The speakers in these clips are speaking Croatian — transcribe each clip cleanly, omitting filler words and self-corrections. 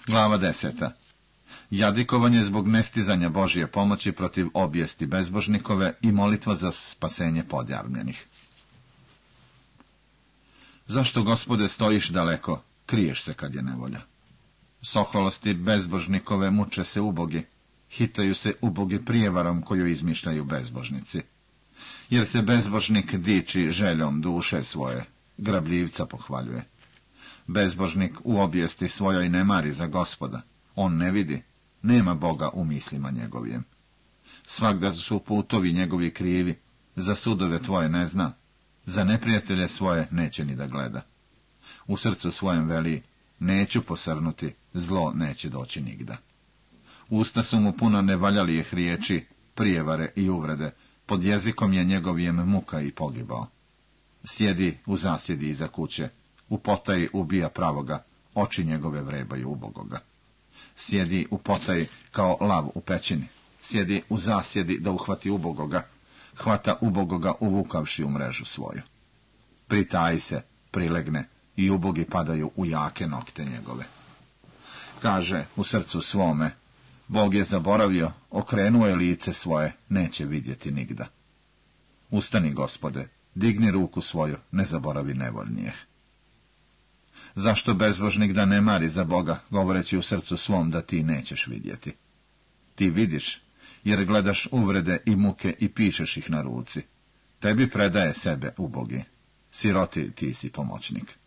Glava 10. Jadikovanje zbog nestizanja Božje pomoći protiv obijesti bezbožnikove i molitva za spasenje podjarmljenih. Zašto, Gospode, stojiš daleko, kriješ se kad je nevolja? Soholosti bezbožnikove muče se ubogi, hitaju se ubogi prijevarom koju izmišljaju bezbožnici. Jer se bezbožnik diči željom duše svoje, grabljivca pohvaljuje. Bezbožnik u obijesti svojoj ne mari za Gospoda, on ne vidi, nema Boga u mislima njegovijem. Svagda su putovi njegovi krivi, za sudove tvoje ne zna, za neprijatelje svoje neće ni da gleda. U srcu svojem veli, neću posrnuti, zlo neće doći nigda. Usta su mu puno nevaljalijih riječi, prijevare i uvrede, pod jezikom je njegovijem muka i pogibao. Sjedi u zasjedi iza kuće, u potaji ubija pravoga, oči njegove vrebaju ubogoga. Sjedi u potaji kao lav u pećini, sjedi u zasjedi da uhvati ubogoga, hvata ubogoga uvukavši u mrežu svoju. Pritaji se, prilegne, i ubogi padaju u jake nokte njegove. Kaže u srcu svome, Bog je zaboravio, okrenuo je lice svoje, neće vidjeti nigda. Ustani, Gospode, digni ruku svoju, ne zaboravi nevoljnijeh. Zašto bezbožnik da ne mari za Boga, govoreći u srcu svom da ti nećeš vidjeti? Ti vidiš, jer gledaš uvrede i muke i pišeš ih na ruci. Tebi predaje sebe ubogi, siroti ti si pomoćnik.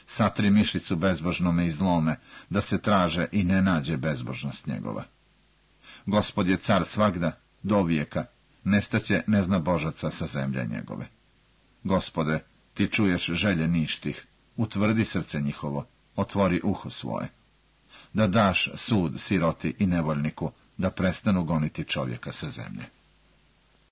Satri mišicu bezbožnome i zlome, da se traže i ne nađe bezbožnost njegova. Gospod je car svagda, do vijeka, nestaće neznabožaca sa zemlje njegove. Gospode, ti čuješ želje ništih, utvrdi srce njihovo, otvori uho svoje. Da daš sud siroti i nevoljniku, da prestanu goniti čovjeka sa zemlje.